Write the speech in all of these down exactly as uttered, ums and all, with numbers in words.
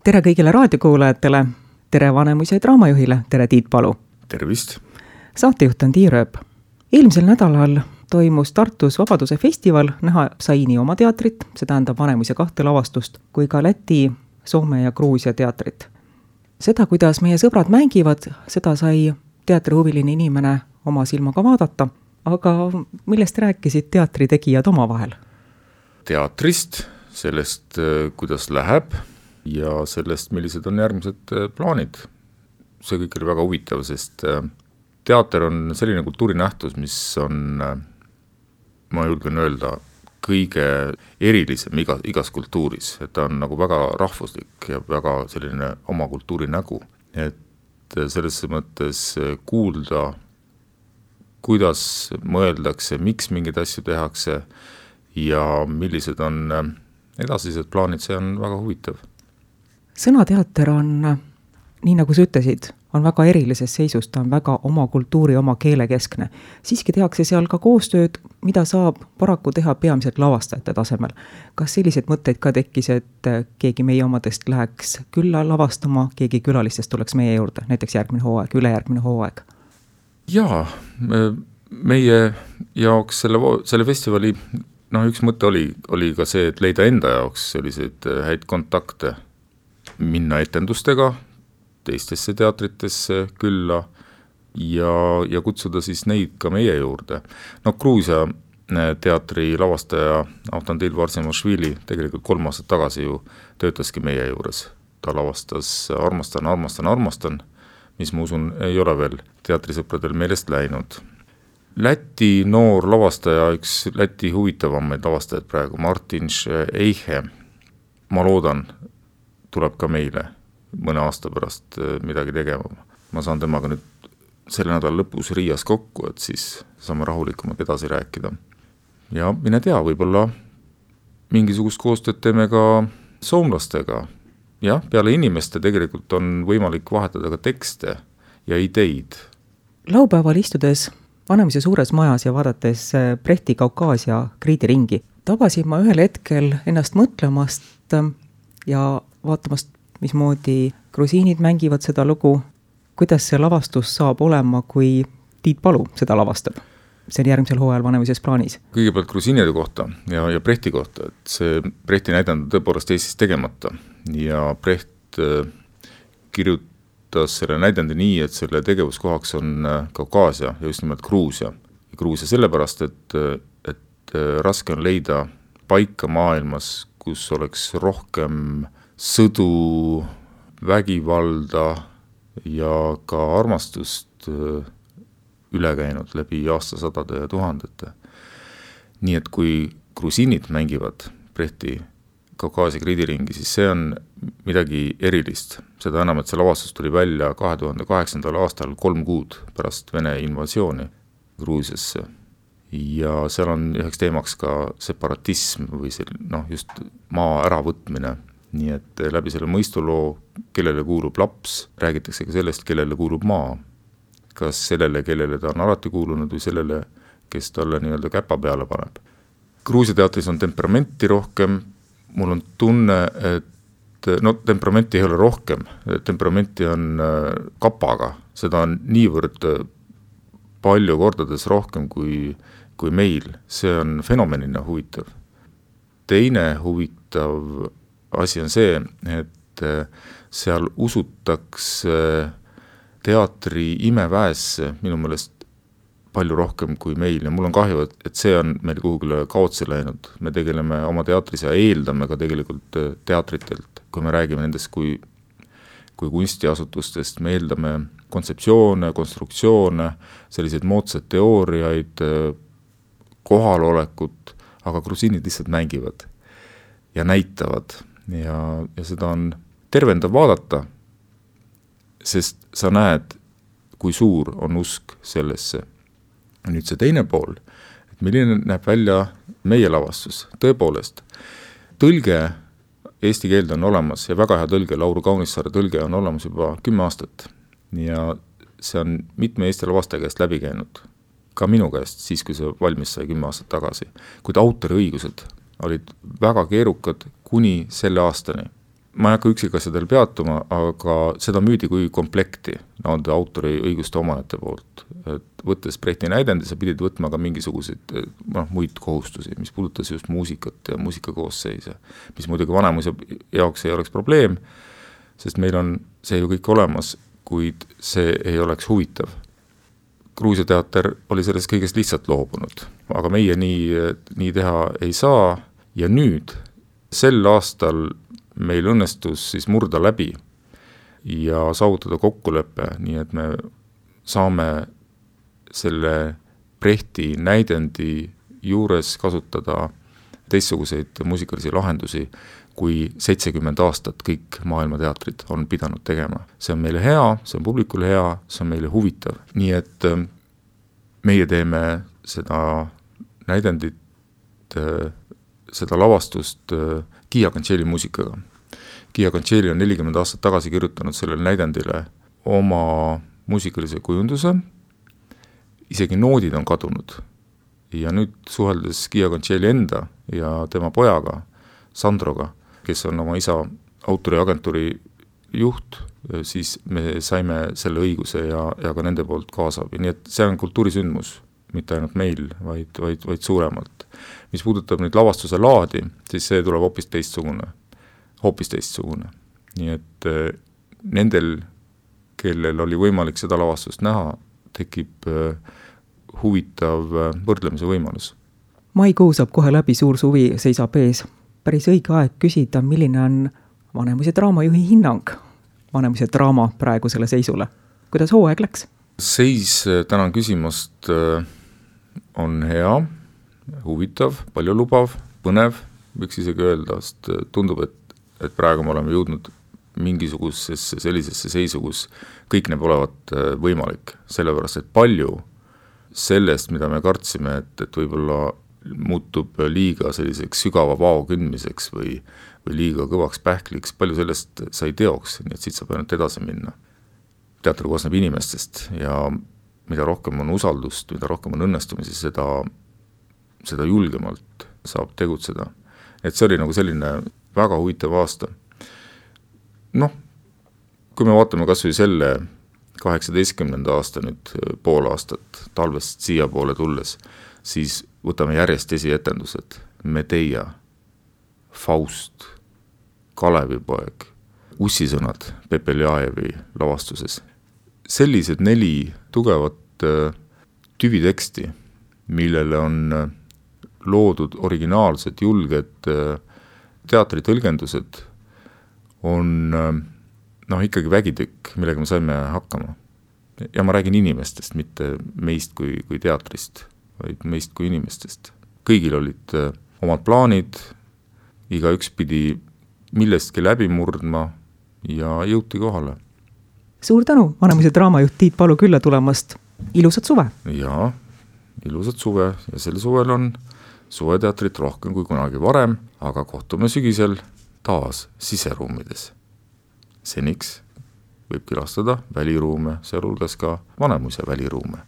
tere kõigile raadiokuulajatele, tere Vanemuise draamajuhile, tere Tiit Palu. Tervist! Saatejuht on Tiia Rööp. Eelmisel nädalal toimus Tartus Vabaduse festival, näha sai nii oma teatrit, see tähendab Vanemuise kahte lavastust, kui ka Läti, Soome ja Gruusia teatrit. Seda, kuidas meie sõbrad mängivad, seda sai teatrihuviline inimene oma silmaga vaadata, aga millest rääkisid teatritegijad oma vahel? Teatrist, sellest, kuidas läheb ja sellest, millised on järgmised plaanid. See kõik oli väga huvitav, sest teater on selline kultuurinähtus, mis on, ma julgen öelda, kõige erilisem iga, igas kultuuris, et ta on nagu väga rahvuslik ja väga selline oma kultuuri nägu. Et selles mõttes kuulda, kuidas mõeldakse, miks mingid asju tehakse ja millised on edasised plaanid, see on väga huvitav. Sõnateater on, nii nagu sa ütlesid, on väga erilises seisus, ta on väga oma kultuuri, oma keele keskne. Siiski tehakse seal ka koostööd, mida saab paraku teha peamiselt lavastajate tasemel. Kas sellised mõtteid ka tekkis, et keegi meie omadest läheks külla lavastama, keegi külalistest tuleks meie juurde, näiteks järgmine hooaeg, ülejärgmine hooaeg? Jaa, meie jaoks selle, selle festivali no, üks mõte oli, oli ka see, et leida enda jaoks selliseid häid kontakte, minna etendustega teistesse teatritesse külla ja, ja kutsuda siis neid ka meie juurde. No Gruusia teatri lavastaja Avtandil Varsimašvili tegelikult kolm aastat tagasi ju töötaski meie juures. Ta lavastas Armastan, armastan, armastan, mis ma usun ei ole veel teatrisõpradel meelest läinud. Läti noor lavastaja, üks Läti huvitavamaid lavastajad praegu, Martin Eihe, ma loodan, tuleb ka meile mõne aasta pärast midagi tegema. Ma saan temaga nüüd selle nädala lõpus Riias kokku, et siis saame rahulikumalt edasi rääkida. Ja mine tea, võib-olla mingisugust koostööd teeme ka soomlastega. Jah, peale inimeste tegelikult on võimalik vahetada ka tekste ja ideid. Laupäeval istudes Vanemuise suures majas ja vaadates Brehti Kaukaasia kriidiringi, tabasin ma ühel hetkel ennast mõtlemast ja vaatamast, mismoodi grusiinid mängivad seda lugu, kuidas see lavastus saab olema, kui Tiit Palu seda lavastab. See on järgmisel hooajal Vanemuises plaanis. Kõigepealt grusiinide kohta ja, ja Brehti kohta, et see Brehti näidend on tõepoolest Eestis tegemata ja Breht kirjutas selle näidendi nii, et selle tegevuskohaks on Kaukaasia ja just nimelt Gruusia. Gruusia sellepärast, et, et raske on leida paika maailmas, kus oleks rohkem sõdu, vägivalda ja ka armastust üle käinud läbi aastasadade ja tuhandete. Nii et kui grusiinid mängivad Brehti Kaukaasia kriidiringi, siis see on midagi erilist. Seda enam, et see lavastus tuli välja kahe tuhande kaheksandal aastal kolm kuud pärast Vene invasiooni Gruusiasse. Ja seal on üheks teemaks ka separatism või see, noh, just maa äravõtmine. Nii et läbi selle mõistuloo, kellele kuulub laps, räägitakse ka sellest, kellele kuulub maa. Kas sellele, kellele ta on alati kuulunud või sellele, kes talle nii-öelda käpa peale paneb. Gruusia teatris on temperamenti rohkem. Mul on tunne, et no temperamenti ei ole rohkem. Temperamenti on kapaga. Seda on niivõrd palju kordades rohkem kui, kui meil. See on fenomenina huvitav. Teine huvitav asi on see, et seal usutakse teatri imeväesse minu meelest palju rohkem kui meil ja mul on kahju, et see on meil kuhugile kaotsi läinud. Me tegeleme oma teatris ja eeldame ka tegelikult teatritelt, kui me räägime nendest kui, kui kunstiasutustest, me eeldame kontseptsioone, konstruktsioone, selliseid moodsad teooriaid, kohalolekut, aga grusiinid lihtsalt mängivad ja näitavad. Ja, ja seda on tervendav vaadata, sest sa näed, kui suur on usk sellesse. Nüüd see teine pool, et milline näeb välja meie lavastus. Tõepoolest, tõlge eesti keelde on olemas ja väga hea tõlge, Lauru Kaunissaare tõlge on olemas juba kümme aastat. Ja see on mitme Eesti lavastaja käest läbi käinud. Ka minu käest, siis kui see valmis sai kümme aastat tagasi. Kuid autoriõigused olid väga keerukad kuni selle aastani. ma ei hakka üksikasjadel peatuma, aga seda müüdi kui komplekti nende autori õiguste omajate poolt. Et võttes Brechti näidendi, sa pidid võtma ka mingisuguseid noh, muid kohustusi, mis puudutas just muusikat ja muusikakoosseise, mis muidugi vanemuse jaoks ei oleks probleem, sest meil on see ju kõik olemas, kuid see ei oleks huvitav. Gruusia teater oli sellest kõigest lihtsalt loobunud, aga meie nii, nii teha ei saa ja nüüd sel aastal meil õnnestus siis murda läbi ja saavutada kokkulepe, nii et me saame selle Brechti näidendi juures kasutada teistsuguseid muusikalisi lahendusi, kui seitsekümmend aastat kõik maailma teatrid on pidanud tegema. See on meile hea, see on publikule hea, see on meile huvitav. Nii et meie teeme seda näidendit, seda lavastust Gia Cancelli muusikaga. Gia Cancelli on nelikümmend aastat tagasi kirjutanud sellele näidendile oma muusikalise kujunduse, isegi noodid on kadunud. Ja nüüd suheldes Gia Cancelli enda ja tema pojaga, Sandroga, kes on oma isa autoriagentuuri juht, siis me saime selle õiguse ja, ja ka nende poolt kaasabi. Nii et see on kultuurisündmus, mitte ainult meil, vaid, vaid, vaid suuremalt. Mis puudutab nüüd lavastuse laadi, siis see tuleb hoopis teistsugune. hoopis teistsugune. Nii et äh, nendel, kellel oli võimalik seda lavastust näha, tekib äh, huvitav äh, võrdlemise võimalus. Maikuu saab kohe läbi, suur suvi seisab ees. Päris õige aeg küsida, milline on Vanemuise draamajuhi hinnang Vanemuise draama praegusele seisule. Kuidas hooaeg läks? Seis, tänan küsimast, on hea, huvitav, palju lubav, põnev, võiks isegi öelda, sest tundub, et, et praegu me oleme jõudnud mingisugusesse sellisesse seisu, kus kõik näeb olevat võimalik, sellepärast, et palju sellest, mida me kartsime, et, et võib-olla muutub liiga selliseks sügava vao kündmiseks või, või liiga kõvaks pähkliks, palju sellest sai teoks, nii et siit saab ainult edasi minna. Teater koosneb inimestest ja mida rohkem on usaldust, mida rohkem on õnnestumisi, seda, seda julgemalt saab tegutseda. Et see oli nagu selline väga huvitav aasta. Noh, kui me vaatame kas või selle kaheksateistkümnenda aasta nüüd pool aastat talvest siia poole tulles, siis võtame järjest esietendused. Medeia, Faust, Kalevipoeg, Ussisõnad Pepe Ljajevi lavastuses. Sellised neli tugevat tüviteksti, millele on loodud originaalsed, julged teatritõlgendused, on noh, ikkagi vägitükk, millega me saime hakkama. Ja ma räägin inimestest, mitte meist kui, kui teatrist, vaid meist kui inimestest. Kõigil olid omad plaanid, iga üks pidi millestki läbi murdma ja jõuti kohale. Suur tänu, Vanemuise draamajuht Tiit Palu külla tulemast. Ilusat suve! Jaa, ilusat suve ja sel suvel on suveteatrit rohkem kui kunagi varem, aga kohtume sügisel taas siseruumides. Seniks võib külastada väliruume, sealhulgas ka Vanemuise väliruume.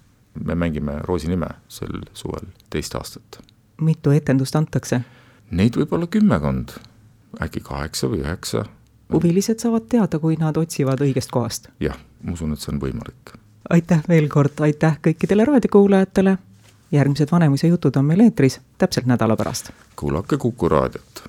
Me mängime Roosi nime sel suvel teist aastat. Mitu etendust antakse? Neid võib olla kümmekond, äkki kaheksa või üheksa. Huvilised saavad teada, kui nad otsivad õigest kohast. Jah, ma usun, et see on võimalik. Aitäh veel kord, aitäh kõikidele raadiokuulajatele. Järgmised Vanemuise jutud on meil eetris täpselt nädala pärast. Kuulake Kuku raadiot.